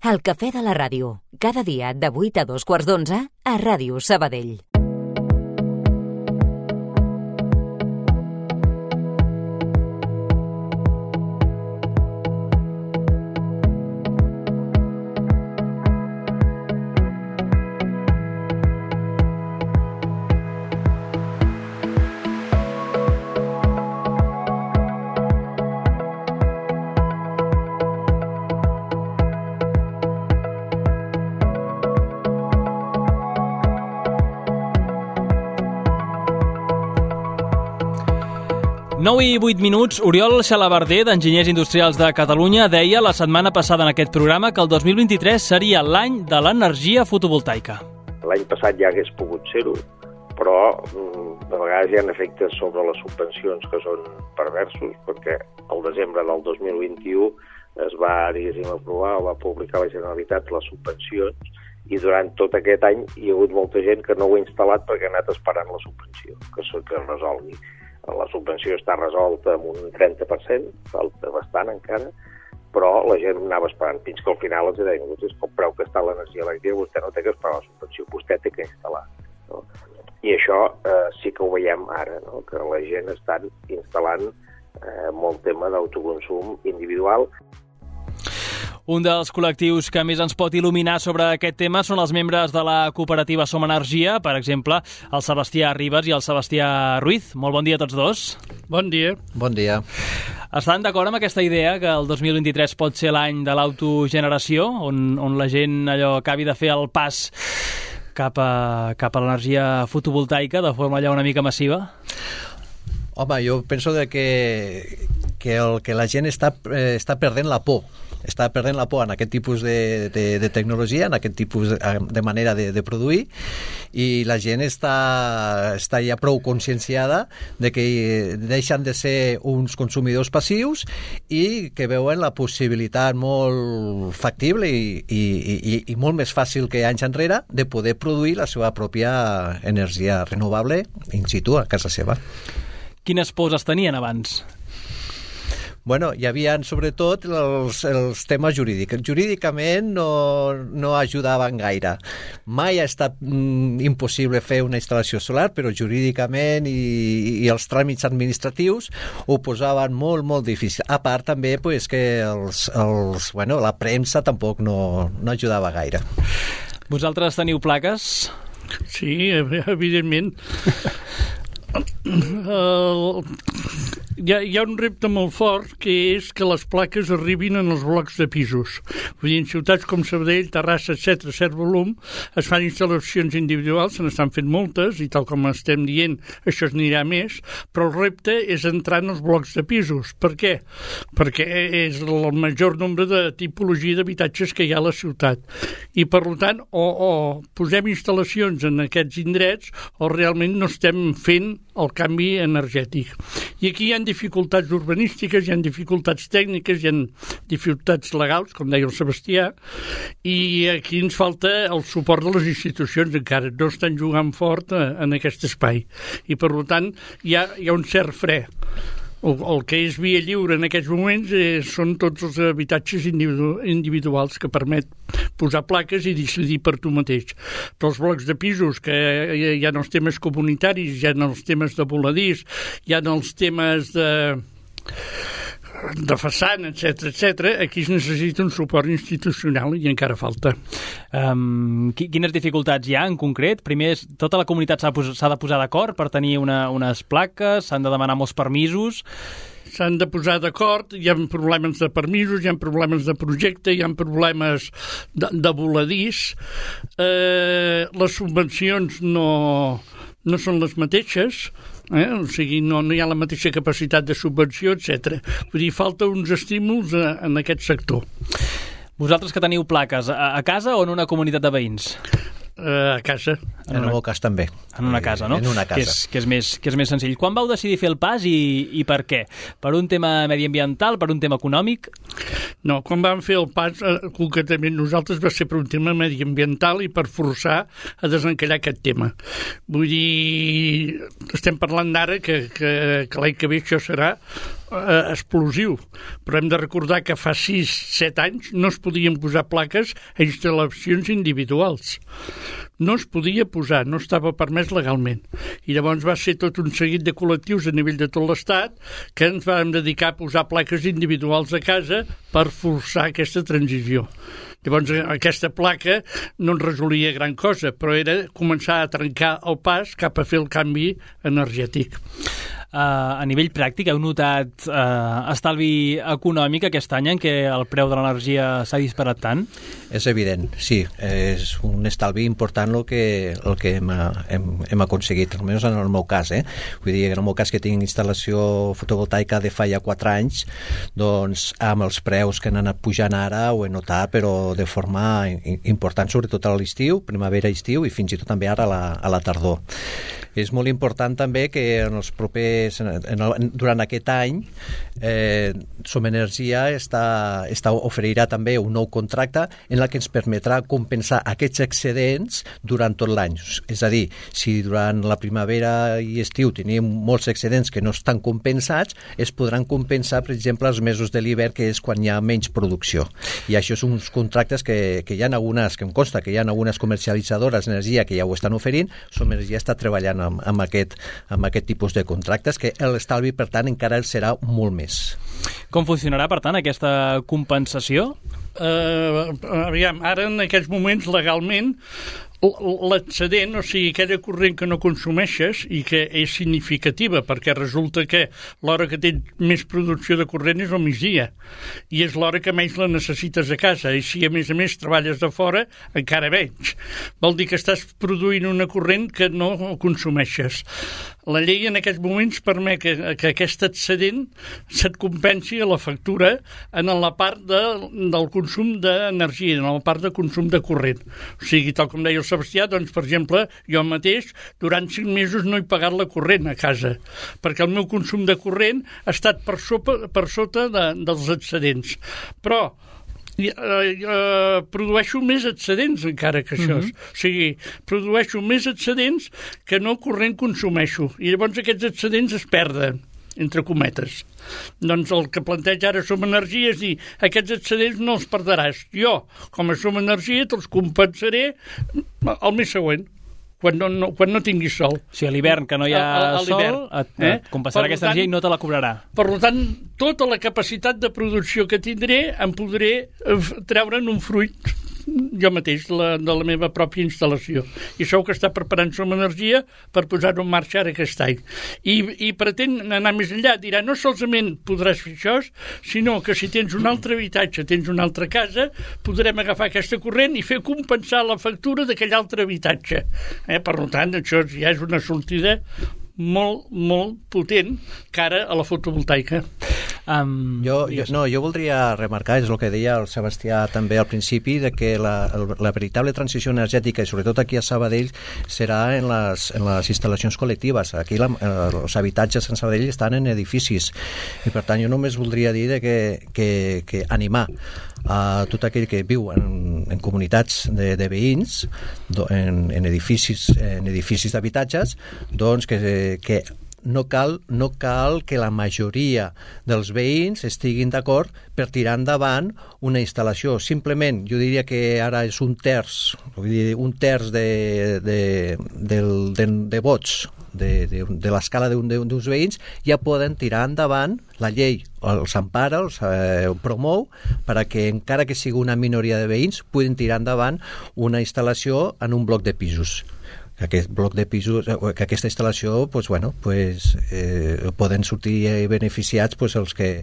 El cafè de la ràdio, cada dia de 8 a 2:15 a Ràdio Sabadell. I 8 minuts, Oriol Xalabarder, d'Enginyers Industrials de Catalunya, deia la setmana passada en aquest programa que el 2023 seria l'any de l'energia fotovoltaica. L'any passat ja hagués pogut ser-ho, però de vegades hi ha efectes sobre les subvencions que són perversos, perquè al desembre del 2021 es va, aprovar o va publicar la Generalitat les subvencions i durant tot aquest any hi ha hagut molta gent que no ho ha instal·lat perquè ha anat esperant la subvenció, que es resolgui. La subvenció està resolta amb un 30%, falta bastant encara, però la gent anava esperant fins que al final els deien, vostès compreu que està l'energia elèctrica, vostè no té que esperar la subvenció, vostè té que instal·lar. No? I això sí que ho veiem ara, no? Que la gent està instal·lant molt tema d'autoconsum individual. Un dels col·lectius que més ens pot il·luminar sobre aquest tema són els membres de la cooperativa Som Energia, per exemple, el Sebastià Ribas i el Sebastià Ruiz. Molt bon dia a tots dos. Bon dia. Bon dia. Estan d'acord amb aquesta idea que el 2023 pot ser l'any de l'autogeneració, on la gent acabi de fer el pas cap a l'energia fotovoltaica de forma una mica massiva? Home, jo penso que la gent està perdent la por. Està perdent la por en aquest tipus de tecnologia, en aquest tipus de manera de produir, i la gent està ja prou conscienciada de que deixen de ser uns consumidors passius i que veuen la possibilitat molt factible i molt més fàcil que anys enrere de poder produir la seva pròpia energia renovable in situ a casa seva. Quines pors es tenien abans? Bueno, hi havia sobretot els temes jurídics. Jurídicament no ajudaven gaire. Mai ha estat impossible fer una instal·lació solar, però jurídicament i els tràmits administratius ho posaven molt, molt difícil. A part també que la premsa tampoc no ajudava gaire. Vosaltres teniu plaques? Sí, evidentment. Hi ha un repte molt fort, que és que les plaques arribin en els blocs de pisos. Vull dir, en ciutats com Sabadell, Terrassa, etc., cert volum, es fan instal·lacions individuals, se n'estan fent moltes, i tal com estem dient, això es anirà més, però el repte és entrar en els blocs de pisos. Per què? Perquè és el major nombre de tipologia d'habitatges que hi ha a la ciutat. I, per tant, o posem instal·lacions en aquests indrets, o realment no estem fent el canvi energètic. I aquí hi ha dificultats urbanístiques, hi ha dificultats tècniques, hi ha dificultats legals, com deia el Sebastià, i aquí ens falta el suport de les institucions, encara no estan jugant fort en aquest espai. I, per tant, hi ha un cert fre. El que és via lliure en aquests moments són tots els habitatges individuals que permet posar plaques i decidir per tu mateix. Però els blocs de pisos, que hi ha els temes comunitaris, hi ha els temes de voladís, hi ha els temes de façana, etc., aquí es necessita un suport institucional i encara falta. Quines dificultats hi ha en concret? Primer, tota la comunitat s'ha de posar d'acord per tenir unes plaques, s'han de demanar molts permisos. S'han de posar d'acord, hi ha problemes de permisos, hi ha problemes de projecte, hi ha problemes de voladís. Les subvencions no són les mateixes, o sigui, no hi ha la mateixa capacitat de subvenció, etc. Vull dir, falta uns estímuls en aquest sector. Vosaltres que teniu plaques, a casa o en una comunitat de veïns? A casa. En el meu cas també. En una casa, no? En una casa. Que és més senzill. Quan vau decidir fer el pas i per què? Per un tema mediambiental, per un tema econòmic? No, quan vam fer el pas, concretament nosaltres, va ser per un tema mediambiental i per forçar a desencallar aquest tema. Vull dir, estem parlant d'ara que l'any que ve això serà explosiu, però hem de recordar que fa 6-7 anys no es podien posar plaques a instal·lacions individuals. No es podia posar, no estava permès legalment. I llavors va ser tot un seguit de col·lectius a nivell de tot l'Estat que ens vam dedicar a posar plaques individuals a casa per forçar aquesta transició. Llavors, aquesta placa no ens resolia gran cosa, però era començar a trencar el pas cap a fer el canvi energètic. A nivell pràctic, heu notat estalvi econòmic aquest any en què el preu de l'energia s'ha disparat tant? És evident, sí. És un estalvi important el que hem aconseguit, almenys en el meu cas. Vull dir que en el meu cas, que tinc instal·lació fotovoltaica de fa ja 4 anys, doncs amb els preus que han anat pujant ara ho he notat, però de forma important, sobretot a l'estiu, primavera-estiu, i fins i tot també ara a la tardor. És molt important també que en els propers, durant aquest any, Som Energia oferirà també un nou contracte en el que ens permetrà compensar aquests excedents durant tot l'any. És a dir, si durant la primavera i estiu tenim molts excedents que no estan compensats, es podran compensar, per exemple, els mesos de l'hivern, que és quan hi ha menys producció. I això són uns contractes que hi ha algunes, que em consta que hi ha algunes comercialitzadores d'energia que ja ho estan oferint. Som Energia està treballant amb aquest tipus de contractes, que l'estalvi, per tant, encara serà molt més. Com funcionarà, per tant, aquesta compensació? Aviam, ara en aquests moments legalment l'excedent, o sigui, aquella corrent que no consumeixes i que és significativa, perquè resulta que l'hora que tens més producció de corrent és al migdia i és l'hora que menys la necessites a casa, i si a més treballes de fora, encara menys. Vol dir que estàs produint una corrent que no consumeixes. La llei en aquests moments permet que aquest excedent se't compensi a la factura en la part del consum d'energia, en la part de consum de corrent. O sigui, tal com deia el Sebastià, doncs, per exemple, jo mateix durant 5 mesos no he pagat la corrent a casa, perquè el meu consum de corrent ha estat per sota dels excedents. Però produeixo més excedents encara que això. O sigui, produeixo més excedents que no corrent consumeixo, i llavors aquests excedents es perden, entre cometes. Doncs el que planteja ara Som Energia és dir, aquests excedents no els perdràs. Jo, com a Som Energia, te'ls compensaré el mes següent, quan no tinguis sol. O sigui, a l'hivern, que no hi ha sol, et compensarà aquesta energia i no te la cobrarà. Per tant, tota la capacitat de producció que tindré em podré treure'n un fruit jo mateix, de la meva pròpia instal·lació. I això que està preparant Som Energia per posar-ho en marxa ara aquest any. I pretén anar més enllà. Dirà, no solament podràs fer això, sinó que si tens un altre habitatge, tens una altra casa, podrem agafar aquesta corrent i fer compensar la factura d'aquell altre habitatge. Per tant, això ja és una sortida molt, molt potent cara a la fotovoltaica. Jo voldria remarcar, és el que deia el Sebastià també al principi, de que la veritable transició energètica, i sobretot aquí a Sabadell, serà en les instal·lacions col·lectives. Aquí els habitatges en Sabadell estan en edificis, i per tant jo només voldria dir que animar a tot aquell que viu en comunitats de veïns, en edificis d'habitatges, doncs que no cal que la majoria dels veïns estiguin d'acord per tirar endavant una instal·lació. Simplement, jo diria que ara és un terç de vots de l'escala d'uns veïns, ja poden tirar endavant. La llei els empara, els promou, perquè encara que sigui una minoria de veïns puguin tirar endavant una instal·lació en un bloc de pisos. Aquest bloc de pisos, que aquesta instal·lació, poden sortir beneficiats els que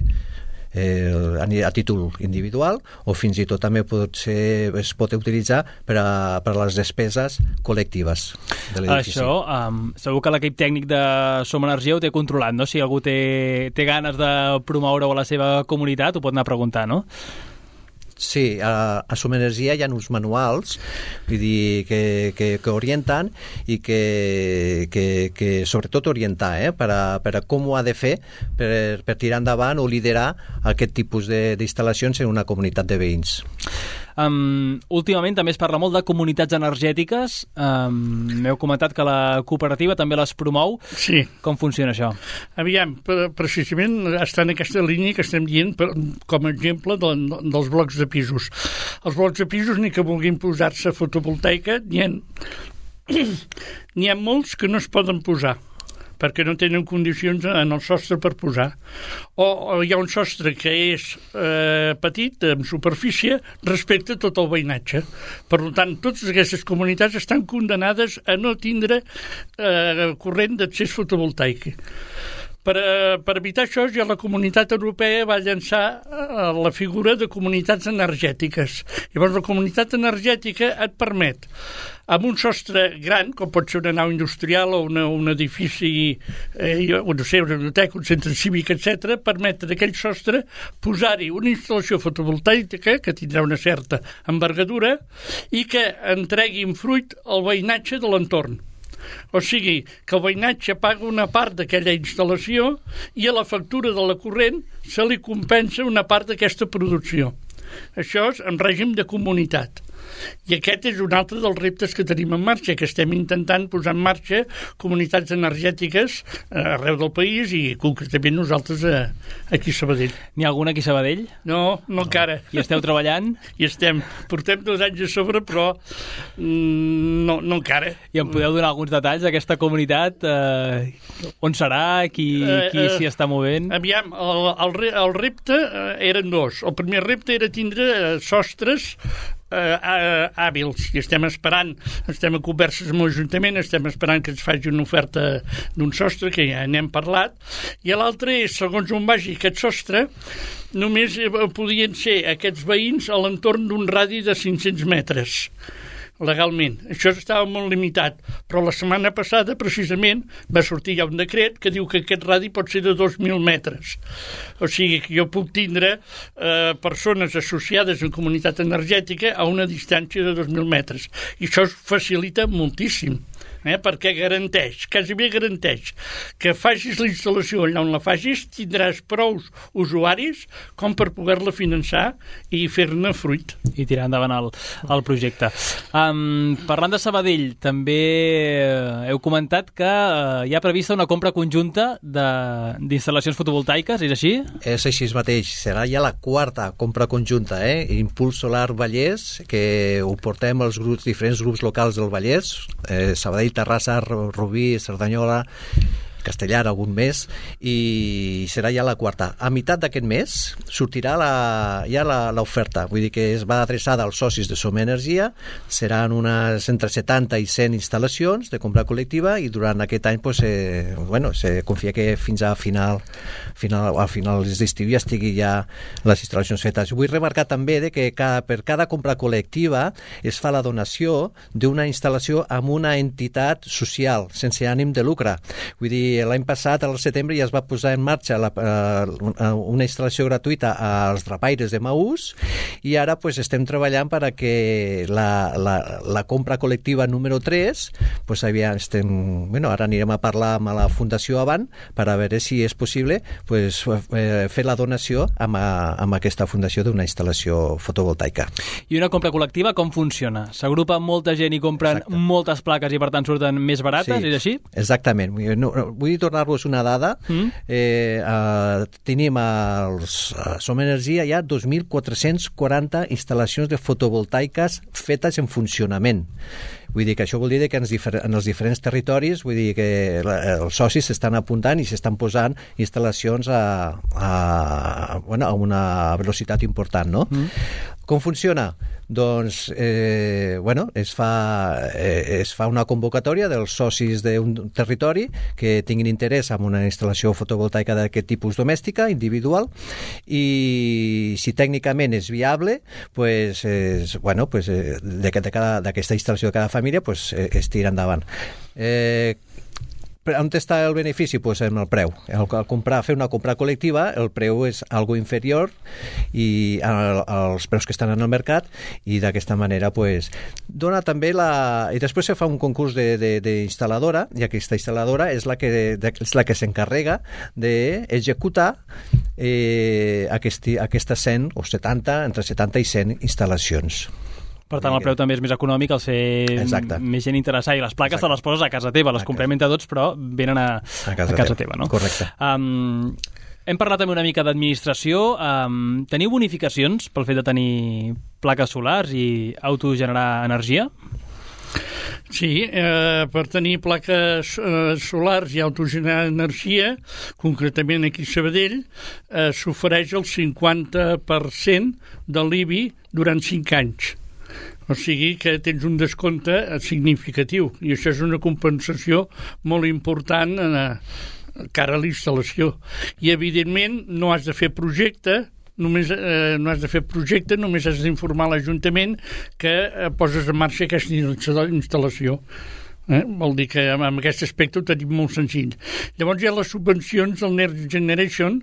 a títol individual, o fins i tot també es pot utilitzar per a les despeses col·lectives de l'edifici. Això, segur que l'equip tècnic de Som Energia ho té controlat, no? Si algú té ganes de promoure-ho a la seva comunitat, ho pot anar a preguntar, no? Sí, a Som Energia hi ha uns manuals, vull dir, que orienten, i que sobretot orientar per a com ho ha de fer per tirar endavant o liderar aquest tipus d'instal·lacions en una comunitat de veïns. Últimament també es parla molt de comunitats energètiques. M'heu comentat que la cooperativa també les promou. Sí. Com funciona això? Aviam, precisament està en aquesta línia que estem dient com a exemple dels blocs de pisos. Els blocs de pisos, ni que vulguin posar-se fotovoltaica, n'hi ha molts que no es poden posar perquè no tenen condicions en el sostre per posar. O hi ha un sostre que és petit, en superfície, respecte a tot el veïnatge. Per tant, totes aquestes comunitats estan condenades a no tindre corrent d'accés fotovoltaic. Per evitar això, ja la Comunitat Europea va llançar la figura de comunitats energètiques. Llavors, la comunitat energètica et permet, amb un sostre gran, com pot ser una nau industrial o un edifici, no sé, una biblioteca, un centre cívic, etc., permetre d'aquell sostre posar-hi una instal·lació fotovoltaica que tindrà una certa envergadura i que entreguin fruit al veïnatge de l'entorn. O sigui, que el veïnatge paga una part d'aquella instal·lació i a la factura de la corrent se li compensa una part d'aquesta producció. Això és en règim de comunitat. I aquest és un altre dels reptes que tenim en marxa, que estem intentant posar en marxa comunitats energètiques arreu del país i concretament nosaltres aquí a Sabadell. N'hi ha alguna aquí a Sabadell? No encara. I esteu treballant? I portem 2 anys a sobre, però no encara. I em podeu donar alguns detalls d'aquesta comunitat? On serà? Qui s'hi està movent? Aviam, el repte eren 2. El primer repte era tindre sostres hàbils, i estem a converses amb l'Ajuntament, estem esperant que ens faci una oferta d'un sostre, que ja n'hem parlat, i l'altre és, segons on vagi aquest sostre, només podien ser aquests veïns a l'entorn d'un radi de 500 metres legalment. Això estava molt limitat, però la setmana passada precisament va sortir ja un decret que diu que aquest radi pot ser de 2.000 metres. O sigui que jo puc tindre persones associades en comunitat energètica a una distància de 2.000 metres. I això facilita moltíssim, perquè garanteix que facis la instal·lació allà on la facis, tindràs prou usuaris com per poder-la finançar i fer-ne fruit. I tirar endavant el projecte. Parlant de Sabadell, també heu comentat que hi ha prevista una compra conjunta d'instal·lacions fotovoltaiques, és així? És així mateix, serà ja la 4ª compra conjunta, Impuls Solar Vallès, que ho portem als diferents grups locals del Vallès, Sabadell, Terrassa, Rubí, Cerdanyola, Castellar, algun mes, i serà ja la 4ª. A meitat d'aquest mes sortirà ja l'oferta, vull dir que es va adreçada als socis de Som Energia, seran unes entre 70 i 100 instal·lacions de compra col·lectiva i durant aquest any se confia que fins a final d'estiu ja estigui ja les instal·lacions fetes. Vull remarcar també que per cada compra col·lectiva es fa la donació d'una instal·lació amb una entitat social sense ànim de lucre. Vull dir, l'any passat, al setembre, ja es va posar en marxa una instal·lació gratuïta als drapaires de Maús i ara estem treballant perquè la compra col·lectiva número 3, ara anirem a parlar amb la Fundació Avant per a veure si és possible fer la donació amb aquesta fundació d'una instal·lació fotovoltaica. I una compra col·lectiva com funciona? S'agrupa molta gent i compren moltes plaques i per tant surten més barates, és així? Exactament. Vull tornar-vos una dada. Tenim Som Energia hi ha 2.440 instal·lacions de fotovoltaiques fetes en funcionament. Vull dir que això vol dir que en els diferents territoris, vull dir que els socis s'estan apuntant i s'estan posant instal·lacions a una velocitat important, no? Com funciona? Doncs, es fa una convocatòria dels socis d'un territori que tinguin interès en una instal·lació fotovoltaica d'aquest tipus domèstica, individual, i si tècnicament és viable, d'aquesta instal·lació de cada família es tira endavant. On està el benefici? Pues en el preu. Al fer una compra col·lectiva, el preu és algo inferior als preus que estan en el mercat, i d'aquesta manera pues, dona també i després se fa un concurs d'instal·ladora, i aquesta instal·ladora és la que s'encarrega d'executar aquestes 100 o 70, entre 70 i 100 instal·lacions. Per tant, el preu també és més econòmic al ser més gent interessada. I les plaques te les poses a casa teva, les comprem entre tots, però venen a casa teva, no? Correcte. Hem parlat també una mica d'administració. Teniu bonificacions pel fet de tenir plaques solars i autogenerar energia? Sí, per tenir plaques solars i autogenerar energia, concretament aquí a Sabadell, s'ofereix el 50% de l'IBI durant 5 anys. O sigui que tens un descompte significatiu, i això és una compensació molt important cara a l'instal·lació. I, evidentment, no has de fer projecte, només has d'informar l'Ajuntament que poses en marxa aquesta instal·lació. Vol dir que en aquest aspecte ho tenim molt senzill. Llavors hi ha les subvencions del Next Generation,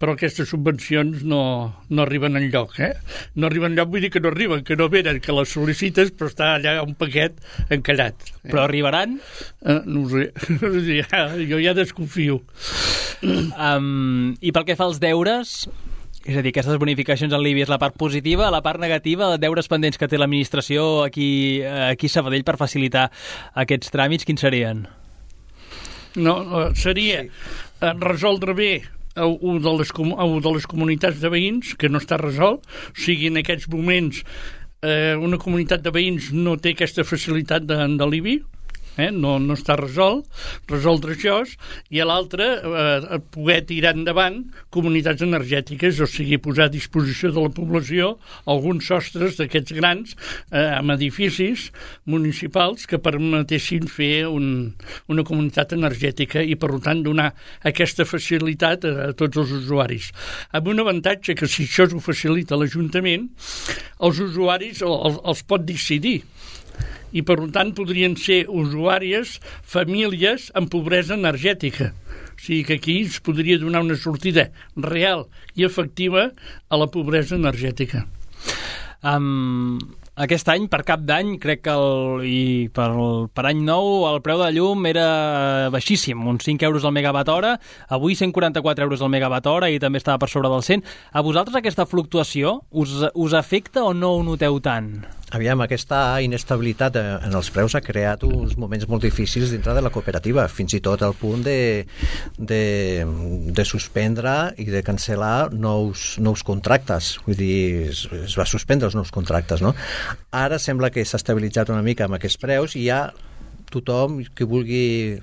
però aquestes subvencions no arriben enlloc. No arriben enlloc, vull dir que no arriben, que no venen, que les sol·licites, però està allà un paquet encallat. Però arribaran? No ho sé, jo ja desconfio. I pel que fa als deures, és a dir, aquestes bonificacions en l'IBI és la part positiva, la part negativa, deures pendents que té l'administració aquí a Sabadell per facilitar aquests tràmits, quins serien? No, seria resoldre bé un de les comunitats de veïns que no està resolt, o sigui, en aquests moments una comunitat de veïns no té aquesta facilitat de l'IBI, no està resoldre això, i a l'altre poder tirar endavant comunitats energètiques, o sigui, posar a disposició de la població alguns sostres d'aquests grans amb edificis municipals que permetessin fer una comunitat energètica i, per tant, donar aquesta facilitat a tots els usuaris. Amb un avantatge que, si això ho facilita l'Ajuntament, els usuaris els pot decidir, i per tant podrien ser usuàries, famílies amb pobresa energètica. O sigui que aquí es podria donar una sortida real i efectiva a la pobresa energètica. Aquest any, per cap d'any, crec que per any nou el preu de la llum era baixíssim, uns 5 euros al megawatt hora, avui 144 euros al megawatt hora i també estava per sobre del 100. A vosaltres aquesta fluctuació us afecta o no ho noteu tant? Aviam, aquesta inestabilitat en els preus ha creat uns moments molt difícils dintre de la cooperativa, fins i tot al punt de suspendre i de cancel·lar nous contractes. Vull dir, es va suspendre els nous contractes, no? Ara sembla que s'ha estabilitzat una mica amb aquests preus i ja tothom que vulgui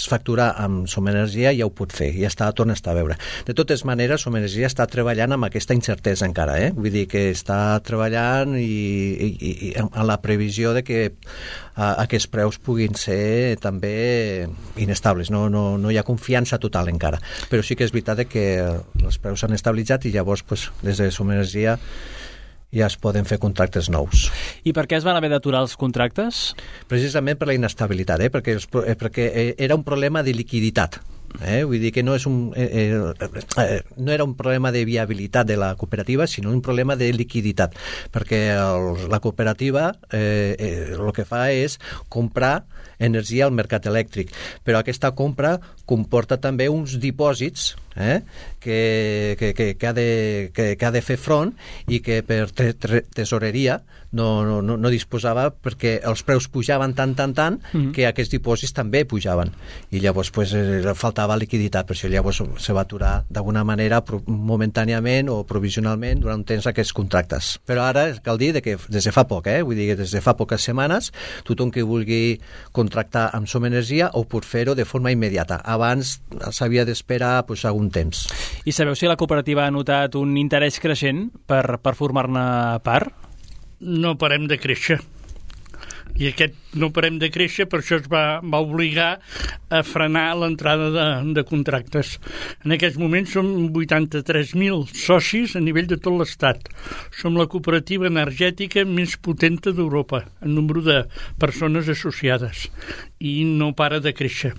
facturar amb Som Energia ja ho pot fer, ja torna a estar a veure. De totes maneres, Som Energia està treballant amb aquesta incertesa encara, vull dir que està treballant i en la previsió de que aquests preus puguin ser també inestables, no hi ha confiança total encara, però sí que és veritat que els preus s'han estabilitzat i llavors des de Som Energia ja es poden fer contractes nous. I per què es van haver d'aturar els contractes? Precisament per la inestabilitat, perquè era un problema de liquiditat. Vull dir que no era un problema de viabilitat de la cooperativa, sinó un problema de liquiditat, perquè la cooperativa el que fa és comprar energia al mercat elèctric, però aquesta compra comporta també uns dipòsits que ha de fer front i que per tesoreria no disposava, perquè els preus pujaven tant que aquests dipòsits també pujaven i llavors faltava liquiditat, per això llavors se va aturar d'alguna manera momentàniament o provisionalment durant un temps aquests contractes. Però ara cal dir que des de fa poc, vull dir que des de fa poques setmanes tothom que vulgui contractar amb Som Energia ho pot fer-ho de forma immediata. Abans s'havia d'esperar algun temps. I sabeu si la cooperativa ha notat un interès creixent per formar-ne part? No parem de créixer. I aquest no parem de créixer, per això es va obligar a frenar l'entrada de contractes. En aquests moments som 83.000 socis a nivell de tot l'Estat. Som la cooperativa energètica més potenta d'Europa en número de persones associades i no para de créixer.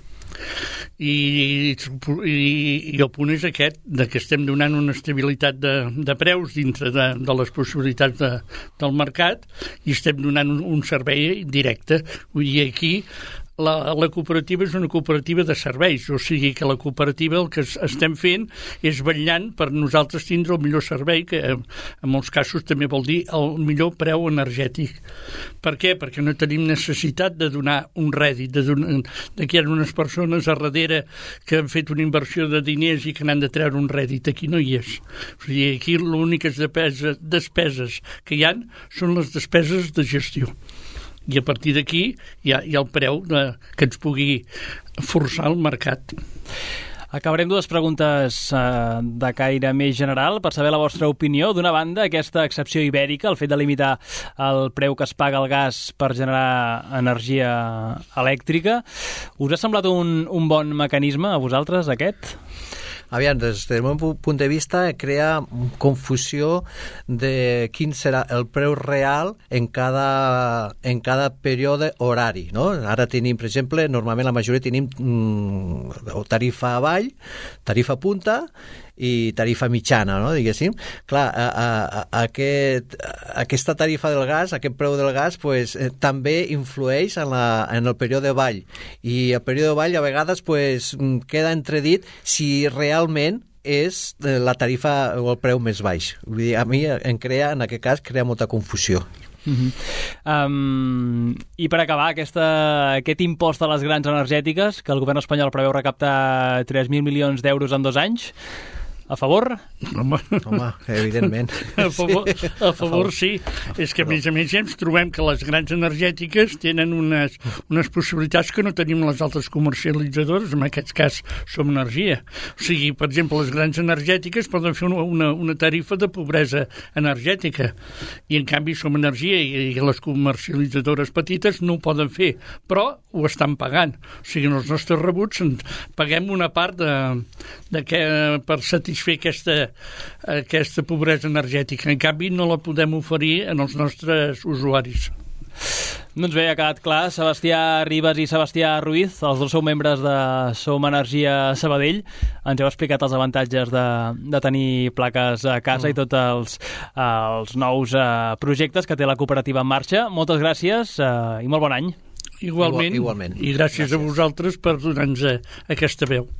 I el punt és aquest, de que estem donant una estabilitat de preus dintre de les possibilitats del mercat i estem donant un servei directe. Vull dir, aquí la cooperativa és una cooperativa de serveis, o sigui que la cooperativa el que estem fent és vetllant per nosaltres tindre el millor servei, que en molts casos també vol dir el millor preu energètic. Per què? Perquè no tenim necessitat de donar un rèdit, de que hi ha unes persones a darrere que han fet una inversió de diners i que n'han de treure un rèdit. Aquí no hi és. O sigui, aquí les úniques despeses que hi ha són les despeses de gestió. I a partir d'aquí hi ha el preu que ens pugui forçar el mercat. Acabarem dues preguntes de caire més general per saber la vostra opinió. D'una banda, aquesta excepció ibèrica, el fet de limitar el preu que es paga al gas per generar energia elèctrica, us ha semblat un bon mecanisme a vosaltres, aquest? Aviam, des del meu punt de vista crea confusió de quin serà el preu real en cada període horari, no? Ara tenim, per exemple, normalment la majoria tenim tarifa avall, tarifa punta i tarifa mitjana, no? Diguéssim. Clar, aquesta tarifa del gas, aquest preu del gas, pues, també influeix en el període avall. I el període avall a vegades pues, queda entredit si realment és la tarifa o el preu més baix. Vull dir, a mi en aquest cas crea molta confusió. I per acabar, aquest impost a les grans energètiques, que el govern espanyol preveu recaptar 3.000 milions d'euros en 2 anys, a favor? Home, evidentment. A favor sí. És que, a més ja ens trobem que les grans energètiques tenen unes possibilitats que no tenim les altres comercialitzadores, en aquest cas Som Energia. O sigui, per exemple, les grans energètiques poden fer una tarifa de pobresa energètica i, en canvi, Som Energia i les comercialitzadores petites no ho poden fer, però ho estan pagant. O sigui, en els nostres rebuts paguem una part per satisfer aquesta pobresa energètica. En canvi, no la podem oferir als nostres usuaris. Doncs bé, ha quedat clar. Sebastià Ribas i Sebastià Ruiz, els dos sou membres de Som Energia Sabadell. Ens heu explicat els avantatges de tenir plaques a casa i tots els nous projectes que té la cooperativa en marxa. Moltes gràcies i molt bon any. Igualment. I gràcies a vosaltres per donar-nos aquesta veu.